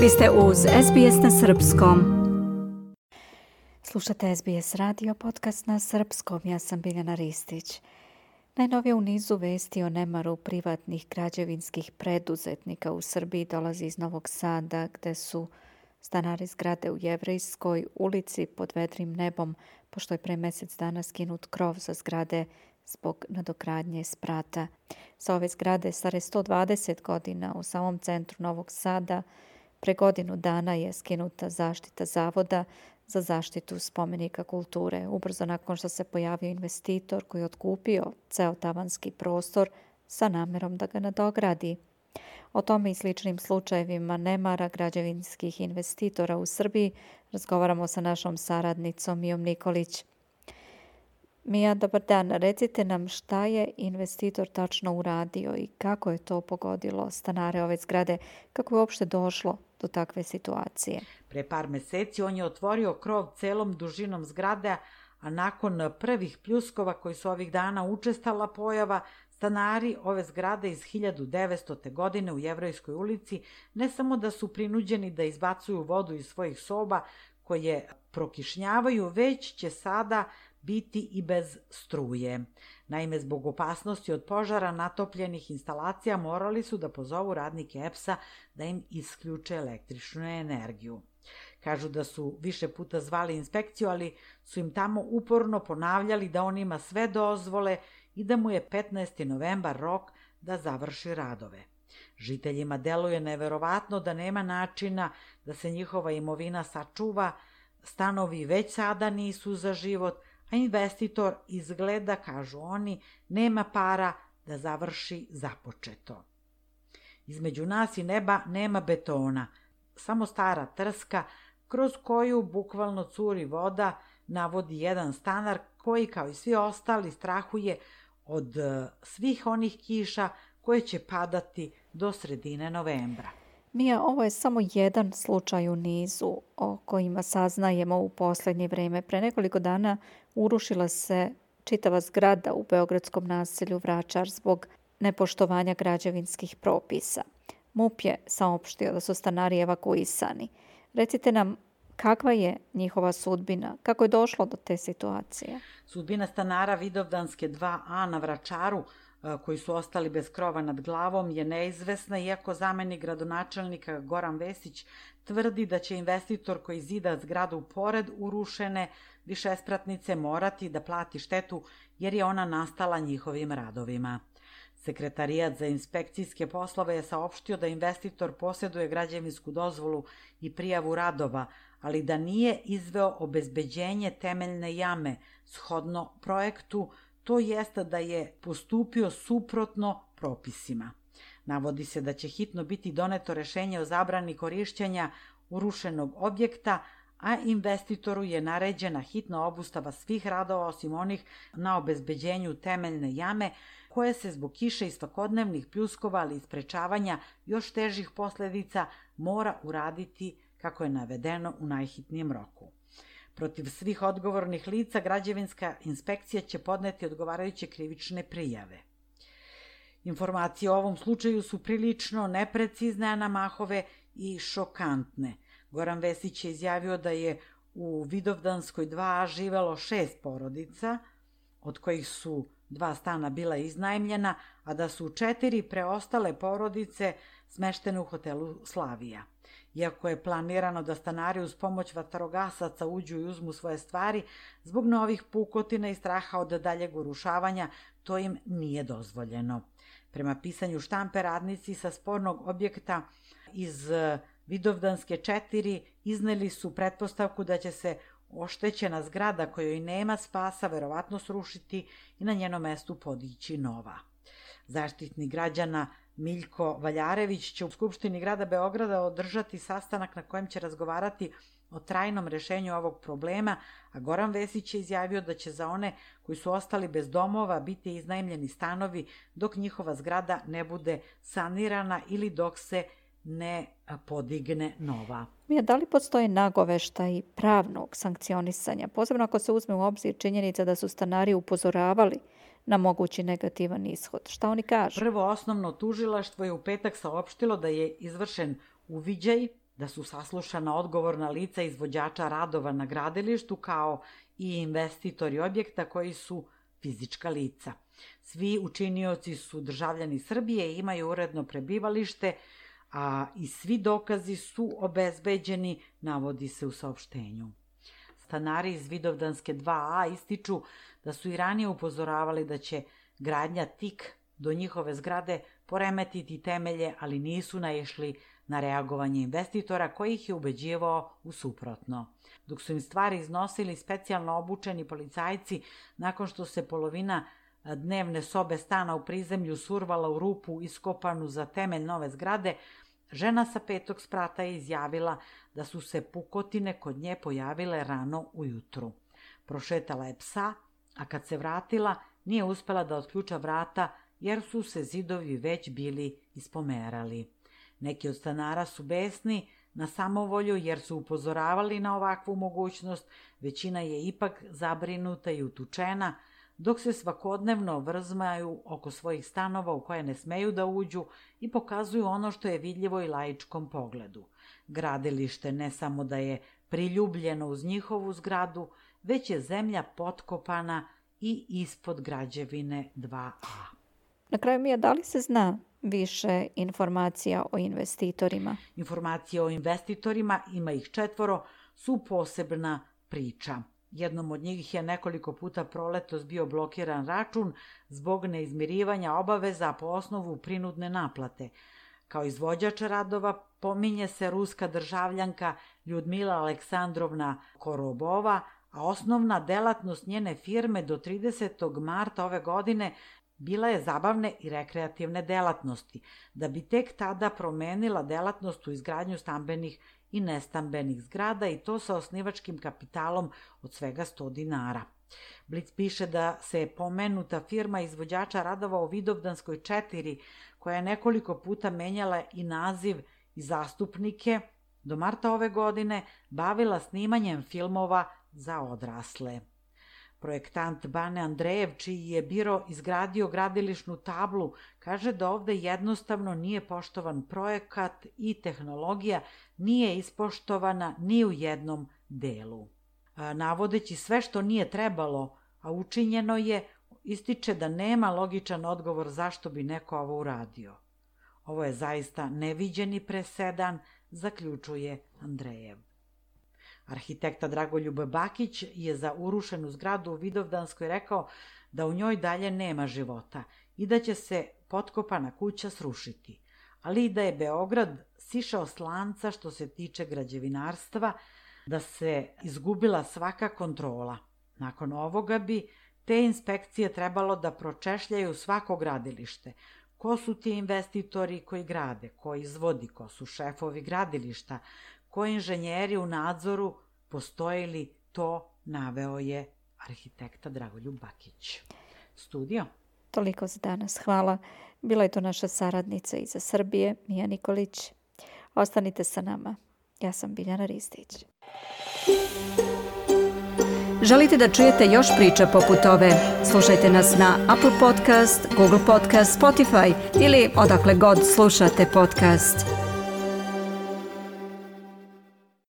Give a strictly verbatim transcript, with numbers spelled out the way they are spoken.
Vi ste uz S B S na srpskom. Slušate S B S radio podcast na srpskom. Ja sam Biljana Ristić. Najnovije u nizu vesti o nemaru privatnih građevinskih preduzetnika u Srbiji dolazi iz Novog Sada, gde su stanari zgrade u Jevrejskoj ulici pod vedrim nebom, pošto je pre mjesec dana skinut krov sa zgrade zbog nadogradnje sprata. Sa ove zgrade stare sto dvadeset godina u samom centru Novog Sada pre godinu dana je skinuta zaštita Zavoda za zaštitu spomenika kulture, ubrzo nakon što se pojavio investitor koji je otkupio ceo tavanski prostor sa namerom da ga nadogradi. O tome i sličnim slučajevima nemara građevinskih investitora u Srbiji razgovaramo sa našom saradnicom Mijom Nikolić. Mija, dobar dan. Recite nam šta je investitor tačno uradio i kako je to pogodilo stanare ove zgrade, kako je uopšte došlo do takve situacije. Pre par meseci on je otvorio krov celom dužinom zgrade, a nakon prvih pljuskova koji su ovih dana učestala pojava, stanari ove zgrade iz hiljadu devetstote. godine u Jevrejskoj ulici ne samo da su prinuđeni da izbacuju vodu iz svojih soba koje prokišnjavaju, već će sada biti i bez struje. Naime, zbog opasnosti od požara natopljenih instalacija morali su da pozovu radnike E P S-a da im isključe električnu energiju. Kažu da su više puta zvali inspekciju, ali su im tamo uporno ponavljali da on ima sve dozvole i da mu je petnaesti novembar rok da završi radove. Žiteljima deluje neverovatno da nema načina da se njihova imovina sačuva, stanovi već sada nisu za život, a investitor izgleda, kažu oni, nema para da završi započeto. Između nas i neba nema betona, samo stara trska kroz koju bukvalno curi voda, navodi jedan stanar koji, kao i svi ostali, strahuje od svih onih kiša koje će padati do sredine novembra. Mija, ovo je samo jedan slučaj u nizu o kojima saznajemo u posljednje vrijeme. Pre nekoliko dana urušila se čitava zgrada u beogradskom naselju Vračar zbog nepoštovanja građevinskih propisa. M U P je saopštio da su stanari evakuisani. Recite nam, kakva je njihova sudbina? Kako je došlo do te situacije? Sudbina stanara Vidovdanske dva A na Vračaru, koji su ostali bez krova nad glavom, je neizvesna, iako zamenik gradonačelnika Goran Vesić tvrdi da će investitor koji zida zgradu pored urušene višespratnice morati da plati štetu jer je ona nastala njihovim radovima. Sekretarijat za inspekcijske poslove je saopštio da investitor posjeduje građevinsku dozvolu i prijavu radova, ali da nije izveo obezbeđenje temeljne jame shodno projektu, to jest da je postupio suprotno propisima. Navodi se da će hitno biti doneto rešenje o zabrani korišćenja urušenog objekta, a investitoru je naređena hitna obustava svih radova osim onih na obezbeđenju temeljne jame, koje se zbog kiše i svakodnevnih pljuskova, ali i sprečavanja još težih posljedica mora uraditi kako je navedeno u najhitnijem roku. Protiv svih odgovornih lica građevinska inspekcija će podneti odgovarajuće krivične prijave. Informacije o ovom slučaju su prilično neprecizne, a namahove i šokantne. Goran Vesić je izjavio da je u Vidovdanskoj dva A živelo šest porodica, od kojih su dva stana bila iznajmljena, a da su četiri preostale porodice smeštene u hotelu Slavija. Iako je planirano da stanari uz pomoć vatrogasaca uđu i uzmu svoje stvari, zbog novih pukotina i straha od daljeg urušavanja, to im nije dozvoljeno. Prema pisanju štampe, radnici sa spornog objekta iz Vidovdanske četiri izneli su pretpostavku da će se oštećena zgrada kojoj nema spasa verovatno srušiti i na njenom mestu podići nova. Zaštitnik građana Miljko Valjarević će u Skupštini grada Beograda održati sastanak na kojem će razgovarati o trajnom rešenju ovog problema, a Goran Vesić je izjavio da će za one koji su ostali bez domova biti iznajmljeni stanovi dok njihova zgrada ne bude sanirana ili dok se ne podigne nova. Mija, da li postoje nagoveštaj pravnog sankcionisanja, posebno ako se uzme u obzir činjenica da su stanari upozoravali na mogući negativan ishod? Šta oni kažu? Prvo osnovno tužilaštvo je u petak saopštilo da je izvršen uviđaj da su saslušana odgovorna lica izvođača radova na gradilištu kao i investitori objekta koji su fizička lica. Svi učinioci su državljani Srbije i imaju uredno prebivalište, a i svi dokazi su obezbeđeni, navodi se u saopštenju. Stanari iz Vidovdanske dva a ističu da su i ranije upozoravali da će gradnja tik do njihove zgrade poremetiti temelje, ali nisu naišli na reagovanje investitora koji ih je ubeđivao u suprotno. Dok su im stvari iznosili specijalno obučeni policajci, nakon što se polovina dnevne sobe stana u prizemlju survala u rupu iskopanu za temelj nove zgrade, žena sa petog sprata je izjavila da su se pukotine kod nje pojavile rano ujutru. Prošetala je psa, a kad se vratila nije uspela da otključa vrata jer su se zidovi već bili ispomerali. Neki od stanara su besni na samovolju jer su upozoravali na ovakvu mogućnost, većina je ipak zabrinuta i utučena, dok se svakodnevno vrzmaju oko svojih stanova u koje ne smeju da uđu i pokazuju ono što je vidljivo i laičkom pogledu. Gradilište ne samo da je priljubljeno uz njihovu zgradu, već je zemlja potkopana i ispod građevine dva a. Na kraju, Mija, da li se zna više informacija o investitorima? Informacije o investitorima, ima ih četvoro, su posebna priča. Jednom od njih je nekoliko puta proletos bio blokiran račun zbog neizmirivanja obaveza po osnovu prinudne naplate. Kao izvođač radova pominje se ruska državljanka Ljudmila Aleksandrovna Korobova, a osnovna delatnost njene firme do tridesetog marta ove godine bila je zabavne i rekreativne delatnosti, da bi tek tada promenila delatnost u izgradnju stambenih i nestambenih zgrada i to sa osnivačkim kapitalom od svega sto dinara. Blic piše da se je pomenuta firma izvođača radova u Vidovdanskoj četiri, koja je nekoliko puta menjala i naziv i zastupnike, do marta ove godine bavila snimanjem filmova za odrasle. Projektant Bane Andrejev, čiji je biro izgradio gradilišnu tablu, kaže da ovde jednostavno nije poštovan projekat i tehnologija nije ispoštovana ni u jednom delu. Navodeći sve što nije trebalo, a učinjeno je, ističe da nema logičan odgovor zašto bi neko ovo uradio. Ovo je zaista neviđeni presedan, zaključuje Andrejev. Arhitekta Dragoljub Bakić je za urušenu zgradu u Vidovdanskoj rekao da u njoj dalje nema života i da će se potkopana kuća srušiti, ali i da je Beograd sišao s lanca što se tiče građevinarstva, da se izgubila svaka kontrola. Nakon ovoga bi te inspekcije trebalo da pročešljaju svako gradilište. Ko su ti investitori koji grade, ko izvodi, ko su šefovi gradilišta, koji inženjeri u nadzoru, postoji li to, naveo je arhitekta Dragoljub Bakić. Studio. Toliko za danas. Hvala. Bila je to naša saradnica iz Srbije, Mija Nikolić. Ostanite sa nama. Ja sam Biljana Ristić. Želite da čujete još priča poput ove? Slušajte nas na Apple Podcast, Google Podcast, Spotify ili odakle god slušate podcast.